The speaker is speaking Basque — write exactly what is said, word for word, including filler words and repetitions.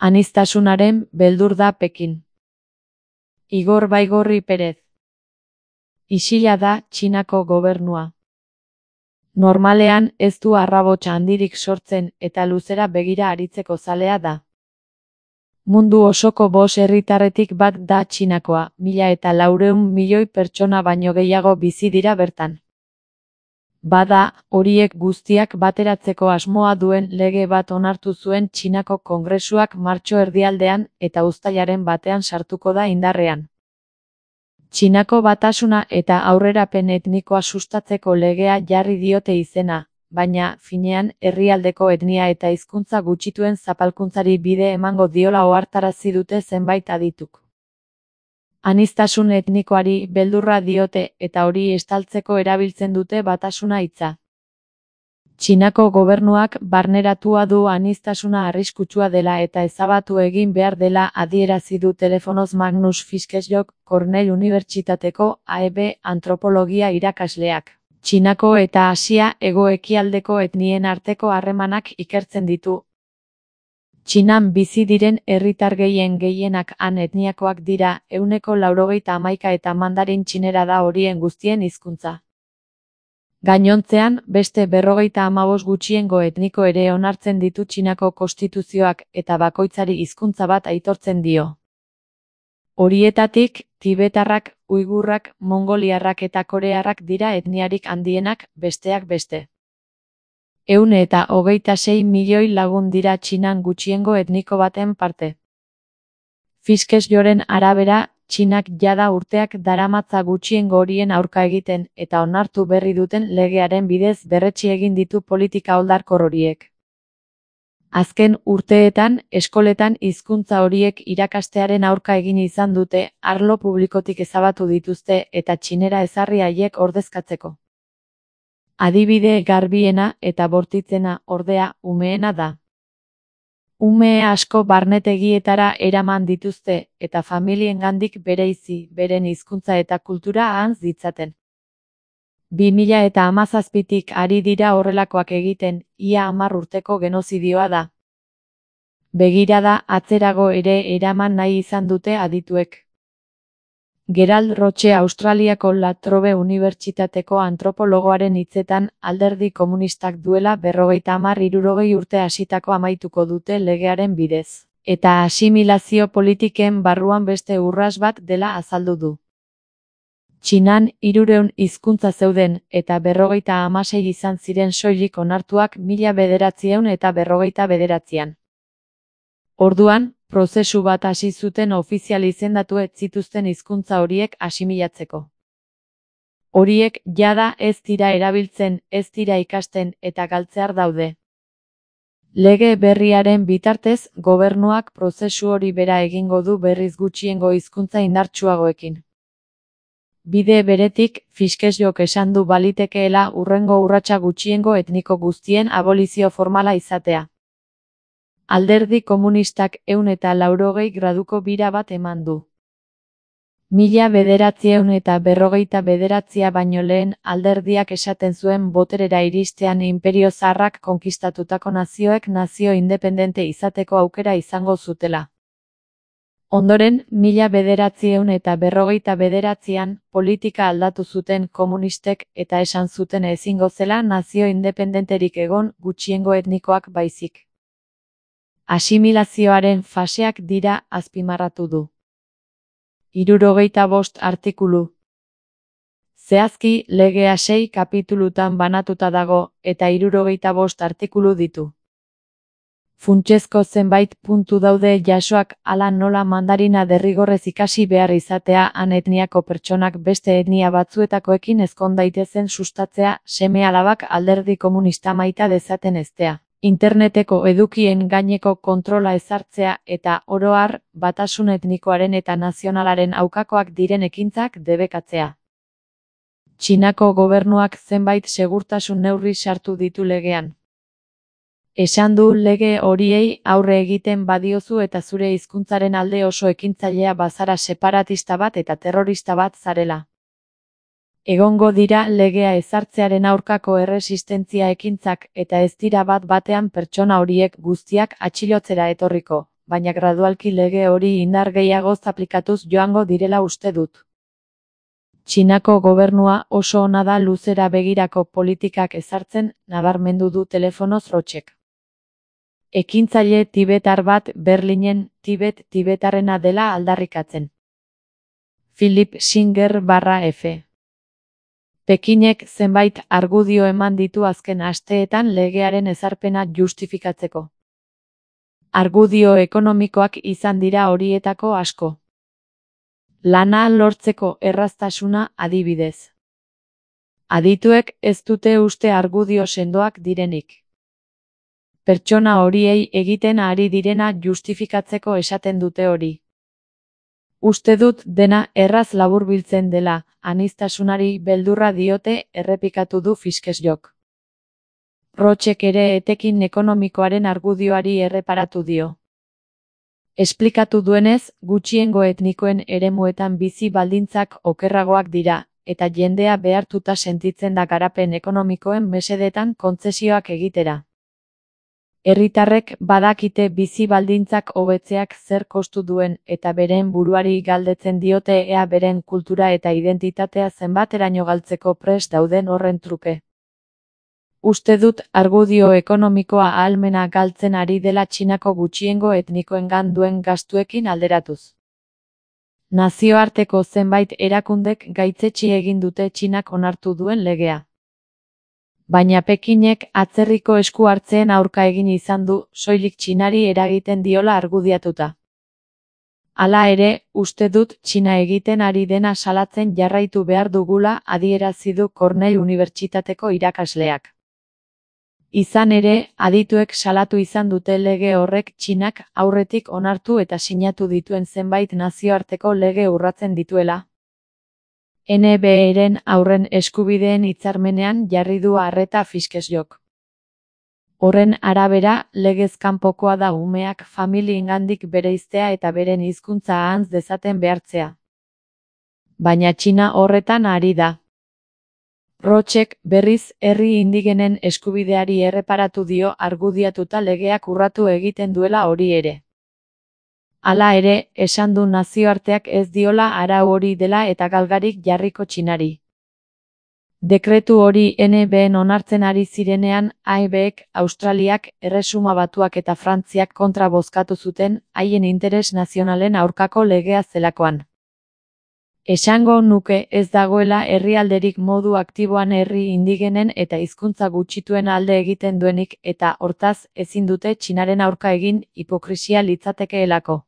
Aniztasunaren beldur da Pekin. Igor Baigorri Perez. Isila da Txinako gobernua. Normalean ez du arrabotsa handirik sortzen eta luzera begira aritzeko zalea da. Mundu osoko bost herritarretik bat da Txinakoa, mila eta laurehun milioi pertsona baino gehiago bizi dira bertan. Bada, horiek guztiak bateratzeko asmoa duen lege bat onartu zuen Txinako Kongresuak martxo erdialdean eta uztailaren batean sartuko da indarrean. Txinako batasuna eta aurrerapen etnikoa sustatzeko legea jarri diote izena, baina, finean, herrialdeko etnia eta hizkuntza gutxituen zapalkuntzari bide emango diola ohartarazi dute zenbait adituk. Aniztasun etnikoari beldurra diote eta hori estaltzeko erabiltzen dute batasuna hitza. Txinako gobernuak barneratua du aniztasuna arriskutsua dela eta ezabatu egin behar dela adierazi du telefonoz Magnus Fischelsjok, Cornell Unibertsitateko A E B antropologia irakasleak. Txinako eta Asia hego-ekialdeko etnien arteko harremanak ikertzen ditu. Txinan bizi diren herritar gehien gehienak han etniakoak dira, ehuneko laurogeita hamaika eta mandarin txinera da horien guztien hizkuntza. Gainontzean, beste berrogeita hamabost gutxiengo etniko ere onartzen ditu Txinako konstituzioak eta bakoitzari hizkuntza bat aitortzen dio. Horietatik, tibetarrak, uigurrak, mongoliarrak eta korearrak dira etniarik handienak, besteak beste. Ehun eta hogeita sei milioi lagun dira Txinan gutxiengo etniko baten parte. Fischelsjoren arabera, Txinak jada urteak daramatza gutxiengo horien aurka egiten eta onartu berri duten legearen bidez berretsi egin ditu politika oldarkor horiek. Azken urteetan, eskoletan hizkuntza horiek irakastearen aurka egin izan dute, arlo publikotik ezabatu dituzte eta txinera ezarri haiek ordezkatzeko. Adibide garbiena eta bortitzena, ordea, umeena da. Ume asko barnetegietara eraman dituzte eta familiengandik bereizi, beren hizkuntza eta kultura ahantz ditzaten. bi mila eta hamazazpitik ari dira horrelakoak egiten, ia hamar urteko genozidioa da. Begirada atzerago ere eraman nahi izan dute adituek. Gerald Roche Australiako La Trobe Unibertsitateko antropologoaren hitzetan, alderdi komunistak duela berrogeita hamar hirurogei urte hasitako amaituko dute legearen bidez, eta asimilazio politiken barruan beste urras bat dela azaldu du. Txinan hirurehun hizkuntza zeuden eta berrogeita hamasei izan ziren soilik onartuak mila bederatziehun eta berrogeita bederatzian. Orduan, prozesu bat hasi zuten ofizial izendatu ez zituzten hizkuntza horiek asimilatzeko. Horiek jada ez dira erabiltzen, ez dira ikasten eta galtzear daude. Lege berriaren bitartez, gobernuak prozesu hori bera egingo du berriz gutxiengo hizkuntza indartsuagoekin. Bide beretik, Fischelsjok esan du balitekeela hurrengo urratsa gutxiengo etniko guztien abolizio formala izatea. Alderdi komunistak ehun eta laurogei graduko bira bat eman du. Mila bederatziehun eta berrogeita bederatzia baino lehen alderdiak esaten zuen boterera iristean inperio zaharrak konkistatutako nazioek nazio independente izateko aukera izango zutela. Ondoren, mila bederatziehun eta berrogeita bederatzian, politika aldatu zuten komunistek eta esan zuten ezingo zela nazio independenterik egon gutxiengo etnikoak baizik. Asimilazioaren faseak dira azpimarratu du. Hirurogeita bost artikulu. Zehazki, legea sei kapitulutan banatuta dago eta hirurogeita bost artikulu ditu. Funtsezko zenbait puntu daude jasoak hala nola mandarina derrigorrez ikasi behar izatea han etniako pertsonak beste etnia batzuetakoekin ezkon daitezen sustatzea, seme-alabak alderdi komunista maita dezaten eztea. Interneteko edukien gaineko kontrola ezartzea eta oro har, batasun etnikoaren eta nazionalaren aukakoak diren ekintzak debekatzea. Txinako gobernuak zenbait segurtasun neurri sartu ditu legean. Esan du lege horiei aurre egiten badiozu eta zure hizkuntzaren alde oso ekintzailea bazara separatista bat eta terrorista bat zarela. Egongo dira legea ezartzearen aurkako erresistentzia ekintzak eta ez dira bat batean pertsona horiek guztiak atxilotzera etorriko, baina gradualki lege hori indar gehiagoz aplikatuz joango direla uste dut. Txinako gobernua oso ona da luzera begirako politikak ezartzen, nabarmendu du telefonoz Rochek. Ekintzaile tibetar bat Berlinen Tibet tibetarrena dela aldarrikatzen. Philip Singer barra F. Pekinek zenbait argudio eman ditu azken asteetan legearen ezarpena justifikatzeko. Argudio ekonomikoak izan dira horietako asko. Lana lortzeko erraztasuna adibidez. Adituek ez dute uste argudio sendoak direnik. Pertsona horiei egiten ari direna justifikatzeko esaten dute hori. Uste dut dena erraz laburbiltzen dela, aniztasunari beldurra diote errepikatu du Fiskesjok. Rochek ere etekin ekonomikoaren argudioari erreparatu dio. Esplikatu duenez, gutxiengo etnikoen eremuetan bizi baldintzak okerragoak dira, eta jendea behartuta sentitzen da garapen ekonomikoen mesedetan kontzesioak egitera. Herritarrek badakite bizi baldintzak hobetzeak zer kostu duen eta beren buruari galdetzen diote ea beren kultura eta identitatea zenbateraino galtzeko prest dauden horren truke. Uste dut argudio ekonomikoa ahalmena galtzen ari dela Txinako gutxiengo etnikoengan duen gastuekin alderatuz. Nazioarteko zenbait erakundek gaitzetsi egin dute Txinak onartu duen legea. Baina Pekinek atzerriko esku hartzeen aurka egin izan du, soilik Txinari eragiten diola argudiatuta. Hala ere, uste dut Txina egiten ari dena salatzen jarraitu behar dugula adierazi du Cornell Unibertsitateko irakasleak. Izan ere, adituek salatu izan dute lege horrek Txinak aurretik onartu eta sinatu dituen zenbait nazioarteko lege urratzen dituela. N B A-ren haurren eskubideen hitzarmenean jarri du arreta Fiskesjok. Horren arabera, legez kanpokoa da umeak familiengandik bereiztea eta beren hizkuntza ahantz dezaten behartzea. Baina Txina horretan ari da. Rochek, berriz, herri indigenen eskubideari erreparatu dio argudiatuta legeak urratu egiten duela hori ere. Hala ere, esan du nazioarteak ez diola arau hori dela eta galgarik jarriko Txinari. Dekretu hori N B A-en onartzen ari zirenean, A E B-ek, Australiak, Erresuma Batuak eta Frantziak kontra bozkatu zuten, haien interes nazionalen aurkako legea zelakoan. Esango nuke ez dagoela herrialderik modu aktiboan herri indigenen eta hizkuntza gutxituen alde egiten duenik eta hortaz ezin dute Txinaren aurka egin, hipokrisia litzatekeelako.